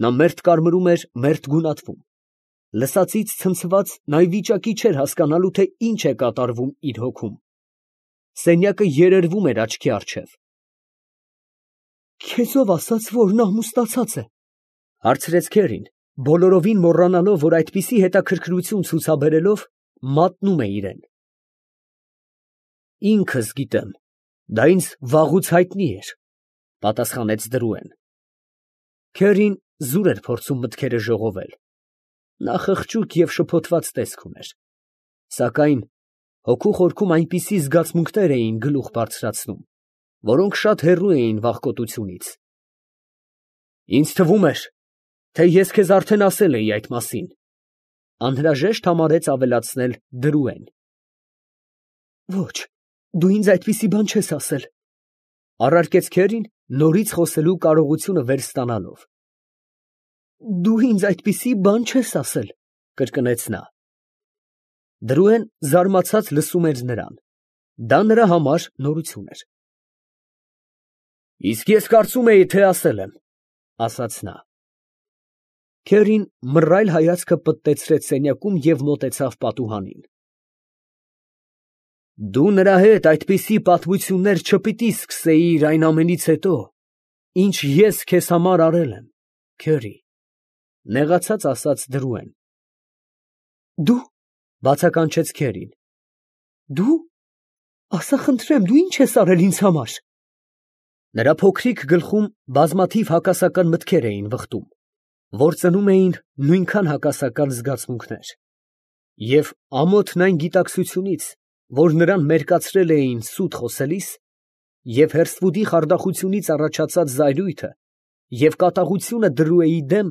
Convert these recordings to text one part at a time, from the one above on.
Նա մերթ կարմրում էր, մերթ գունատվում։ Լսածից ցնցված, նա ի վիճակի չէր հասկանալու, թե ինչ է կատարվում իր հոգում։ Սենյակը երերվում էր աչքի առջև։ «Քեզ ով ասաց, որ նա ամուսնացած է» հարցրեց Քերին, բոլորովին մոռանալով, որ այդպիսի հետաքրքրություն ցուցաբերելով մատնում է իրեն։ «Ինքս գիտեմ, դա ինձ վաղուց հայտնի էր», պատասխանեց Դրուեն։ Քերին զուր էր փորձում մտքերը ժողովել։ Նա խղճուկ և շփոթված տեսք ուներ, սակայն հոգու խորքում այնպիսի զգացմունքներ էին գլուխ բարձրացնում, որոնք շատ հեռու էին վախկոտությունից։ «Ինձ թվում էր, թե ես քեզ արդեն ասել էի այդ մասին», անհրաժեշտ համարեց ավելացնել Դրուեն։ «Ոչ, դու ինձ այդպիսի բան չես ասել», առարկեց Քերին, նորից խոսելու կարողությունը վեր ստանալով։ «Դու ինձ այդպիսի բան չես ասել», կրկնեց նա։ Դրուեն զարմացած լսում էր նրան։ Դա նրա համար նորություն էր։ «Իսկ ես կարծում էի, թե ասել եմ», ասաց նա։ Քերին մռայլ հայացքը պտտեցրեց սենյակում և մոտեցավ պատուհանին։ «Դու նրա հետ այդպիսի պատմություններ չպիտի սկսեիր այն ամենից հետո, ինչ ես քեզ համար արել եմ, Քերի», նեղացած ասաց Դրուեն։ «Դու», բացականչեց Քերին, «դու, ասա խնդրեմ, դու ինչ ես արել ինձ համար»։ Նրա փոքրիկ գլխում բազմաթիվ հակասական մտքեր էին վխտում, որ ծնում էին նույնքան հակասական զգացմունքներ, և ամոթն այն գիտակցությունից, որ նրան մերկացրել էին սուտ խոսելիս, և հերսվուդի խարդախությունից առաջացած զայրույթը, և կատաղությունը Դրուեի դեմ,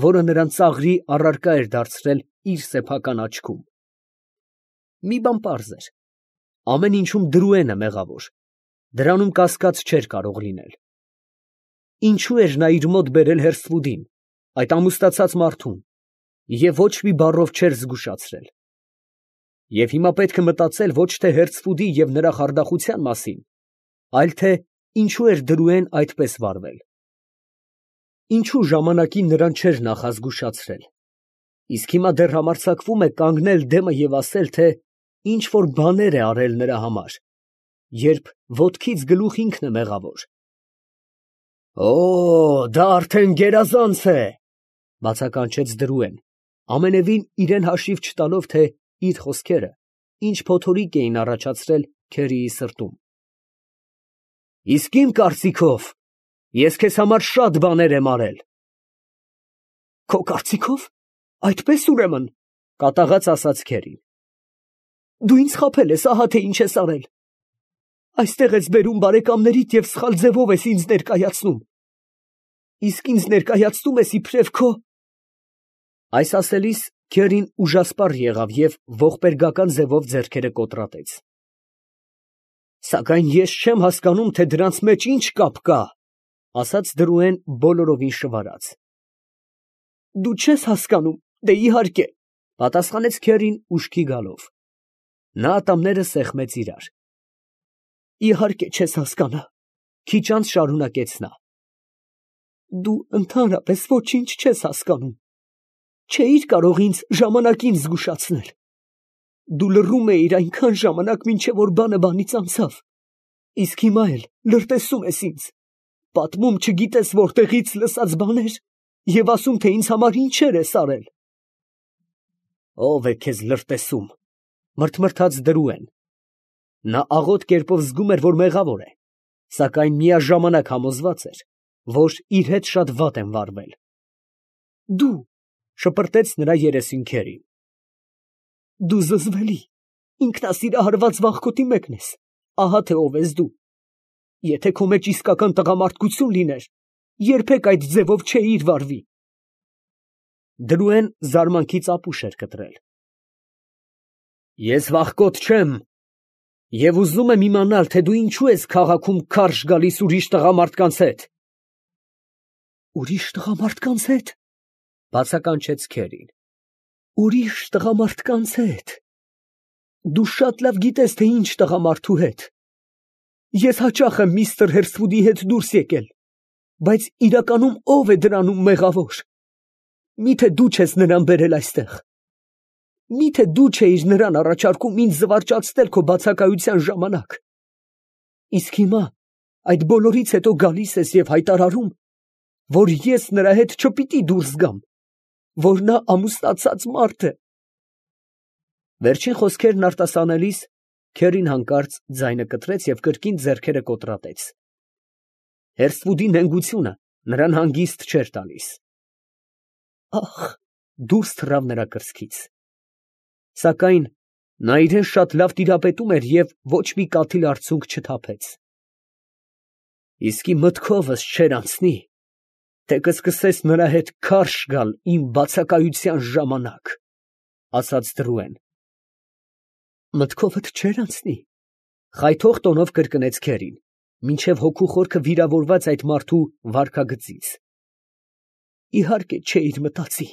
որը նրան ծաղրի առարկա էր դարձրել իր սեփական աչքում։ Մի բան պարզ էր. ամեն ինչում Դրուենը մեղավոր, դրանում կասկած չէր կարող լինել։ Ինչու էր նա իր մոտ բերել հերսվուդին, այդ ամուսնացած մարդուն, և ոչ մի բառով չէր զգուշացրել։ Եվ հիմա պետք է մտածել ոչ թե հերսվուդի և նրա խարդախության մասին, այլ թե ինչու էր Դրուեն այդպես վարվել։ Ինչու ժամանակին նրան չէր նախազգուշացրել, իսկ հիմա դեռ համարձակվում է կանգնել դեմը և ասել, թե ինչ որ բաներ է արել նրա համար, երբ ոտքից գլուխ ինքն է մեղավոր։ «Օ, դա արդեն գերազանց է», բացականչեց Դրուեն, ամենևին իրան հաշիվ չտալով, թե իր խոսքերը ինչ փոթորիկ էին առաջացրել Քերիի սրտում։ «Իսկ իմ կարծիքով, ես քեզ համար շատ բաներ եմ արել»։ «Քո կարծիքով, այդպես ուրեմն», կատաղած ասաց Քերին։ «Դու ինձ խաբել ես, ահա թե ինչ ես արել։ Այստեղ ես բերում բարեկամներիդ և սխալ ձևով ես ինձ ներկայացնում։ Իսկ ինձ ներկայացնում ես իբրև քո…»։ Այս ասելիս Քերին ուժասպառ եղավ և ողբերգական ձևով ձեռքերը կոտրատեց։ «Սակայն ես չեմ հասկանում, թե դրանց մեջ ինչ կապ կա», ասաց Դրուեն բոլորովին շվարած։ «Դու չես հասկանում, դե իհարկե», պատասխանեց Քերին ուշքի գալով։ Նա ատամները սեղմեց իրար։ «Իհարկե չես հասկանա», քիչ անց շարունակեց նա։ «Դու ընդհանրապես ոչինչ չես հասկանում, չէիր կարող ինձ ժամանակին զգուշացնել։ Դու լռում էիր այնքան ժամանակ, մինչև որ բանը բանից անցավ, իսկ հիմա էլ լրտեսում ես ինձ, պատմում չգիտես որտեղից լսած բաներ և ասում, թե ինձ համար ինչեր ես արել»։ «Ո՞վ է քեզ լրտեսում», մրթմրթաց Դրուեն։ Նա աղոտ կերպով զգում էր, որ մեղավոր է, սակայն միաժամանակ համոզված էր, որ իր հետ շատ վատ են վարվել։ «Դու», շպրտեց նրա երեսին Քերին, «դու զզվելի, ինքնասիրահարված վախկոտի մեկն ես, ահա թե ով ես դու։ Եթե քո մեջ իսկական տղամարդկություն լիներ, երբեք այդ ձևով չէիր վարվի»։ Դրուեն զարմանքից ապուշ էր կտրել։ «Ես վախկոտ չեմ, և ուզում եմ իմանալ, թե դու ինչու ես քաղաքում քարշ գալիս ուրիշ տղամարդկանց հետ»։ «Ուրիշ տղամարդկանց հետ», բացականչեց Քերին, «ուրիշ տղամարդկանց հետ։ Դու շատ լավ գիտես, թե ինչ տղամարդու հետ։ Ես հաճախ եմ միստր Հերսվուդի հետ դուրս եկել, բայց իրականում ով է դրանում մեղավոր։ Միթե դու չես նրան բերել այստեղ։ Միթե դու չէիր նրան առաջարկում ինձ զվարճացնել քո բացակայության ժամանակ։ Իսկ հիմա այդ բոլորից հետո գալիս ես և հայտարարում, որ ես նրա հետ չպիտի դուրս գամ, որ նա ամուսնացած մարդ է։ Վերջին խոսքերն արտասանելիս Քերին հանկարծ ձայնը կտրեց և կրկին ձեռքերը կոտրատեց։ Հերսվուդի նենգությունը նրան հանգիստ չէր տալիս։ Ախ, դուրս թռավ նրա կրծքից։ Սակայն նա իրեն շատ լավ տիրապետում էր և ոչ մի կաթիլ արցունք չթափեց։ Իսկի մտքովս չէր անցնի, թե կսկսես նրա հետ քարշ գալ իմ բացակայության ժամանակ, ասաց Դրուեն։ Մտքովդ չէր անցնի, խայթող տոնով կրկնեց Քերին, մինչև հոգու խորքը վիրավորված այդ մարդու վարքագծից։ Իհարկե չէիր մտածի։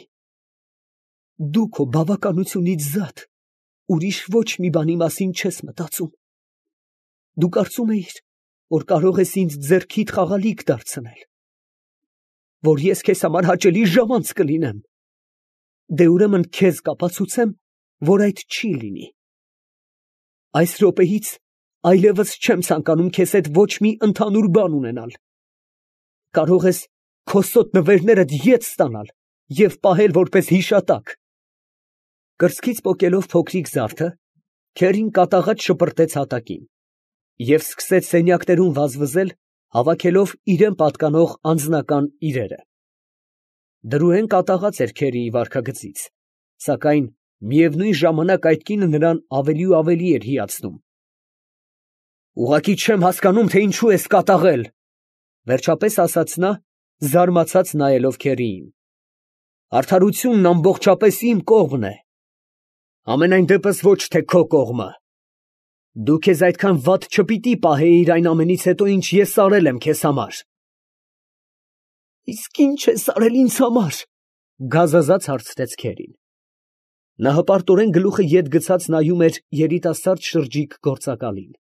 Դու քո բավականությունից զատ ուրիշ ոչ մի բանի մասին չես մտածում։ Դու կարծում էիր, որ կարող ես ինձ ձեռքիդ խաղալիք դարձնել, որ ես քեզ համար հաճելի ժամանց կլինեմ։ Դե ուրեմն քեզ կապացուցեմ, որ այդ չի լինի։ Այս րոպեից այլևս չեմ ցանկանում քեզ հետ ոչ մի ընդհանուր բան ունենալ։ Կարող ես քո սոտ նվերներդ ետ ստանալ և պահել որպես հիշատակ։ Կրծքից պոկելով փոքրիկ զարդը, Քերին կատաղած շպրտեց հատակին և սկսեց սենյակներում վազվզել, հավաքելով իրան պատկանող անձնական իրերը։ Դրուեն կատաղած էր Քերիի վարքագծից, սակայն միևնույն ժամանակ այդ կինը նրան ավելի ու ավելի էր հիացնում։ Ուղղակի չեմ հասկանում, թե ինչու ես կատաղել, վերջապես ասաց նա, զարմացած նայելով Քերիին։ Արդարությունն ամբողջապես իմ կողմն է։ Համենայն դեպս ոչ թե քո կողմը։ Դու քեզ այդքան վատ չպիտի պահեիր այն ամենից հետո, ինչ ես արել եմ քեզ համար։ Իսկ ի՞նչ ես արել ինձ համար, գազազած հարցրեց Քերին։ Նա հպարտորեն գլուխը ետ գցած նայում էր երիտասարդ շրջիկ գործակալին։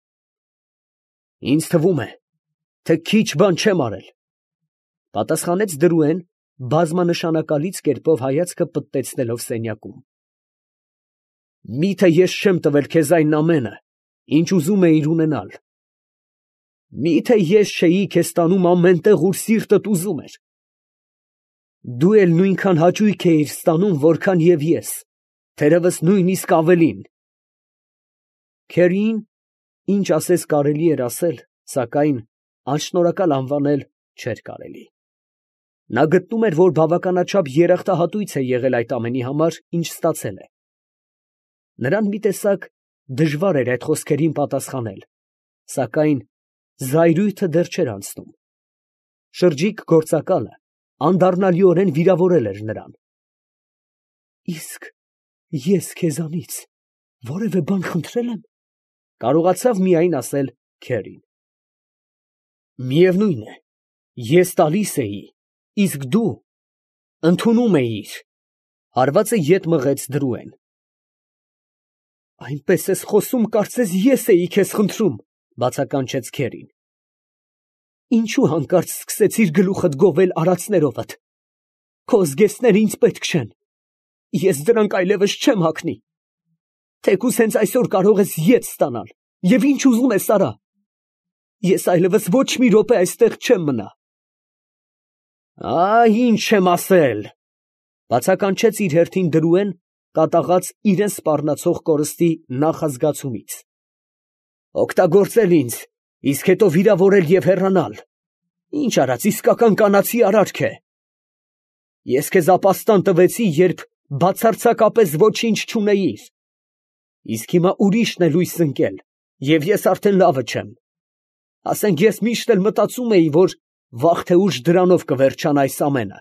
Ինձ թվում է, թե քիչ բան չեմ արել, պատասխանեց Դրուեն բազմանշանակալից կերպով հայացքը պտտեցնելով սենյակում։ Միթե ես չեմ տվել քեզ այն ամենը, ինչ ուզում էիր ունենալ։ Միթե ես չէի քեզ տանում ամենտեղ, ուր սիրտդ ուզում էր։ Դու էլ նույնքան հաճույք էիր ստանում, որքան և ես, թերևս նույնիսկ ավելին։ Քերիին ինչ ասես կարելի էր ասել, սակայն անշնորհակալ անվանել չէր կարելի։ Նա գտնում էր, որ բավականաչափ երախտահատույց է եղել այդ ամենի համար, ինչ ստացել է։ Նրան մի տեսակ դժվար էր այդ խոսքերին պատասխանել, սակայն զայրույթը դեռ չէր անցնում։ Շրջիկ գործակալը անդառնալիորեն վիրավորել էր նրան։ Իսկ ես քեզանից որևէ բան խնդրել եմ, կարողացավ միայն ասել Քերին։ Միևնույն է, ես տալիս էի, իսկ դու ընդունում էիր, հարվածը ետ մղեց Դրուեն։ Այնպես ես խոսում, կարծես ես էի քեզ խնդրում, բացականչեց Քերին։ Ինչու հանկարծ սկսեցիր գլուխդ գովել արածներովդ։ Քո զգեստները ինձ պետք չեն։ Ես դրանք այլևս չեմ հագնի։ Թեկուզ հենց այսօր կարող ես ետ ստանալ, և ինչ ուզում ես արա։ Ես այլևս ոչ մի րոպե այստեղ չեմ մնա։ Ինչ եմ ասել, բացականչեց իր հերթին Դրուեն, կատաղած իրան սպառնացող կորստի նախազգացումից։ Օգտագործել ինձ, իսկ հետո վիրավորել և հեռանալ։ Ինչ արած, իսկական կանացի արարք է։ Ես քեզ ապաստան տվեցի, երբ բացարձակապես ոչինչ չունեիր։ Իսկ հիմա ուրիշն է լույս ընկել, և ես արդեն լավը չեմ։ Ասենք ես միշտ էլ մտածում էի, որ վաղ թե ուշ դրանով կվերջանա այս ամենը։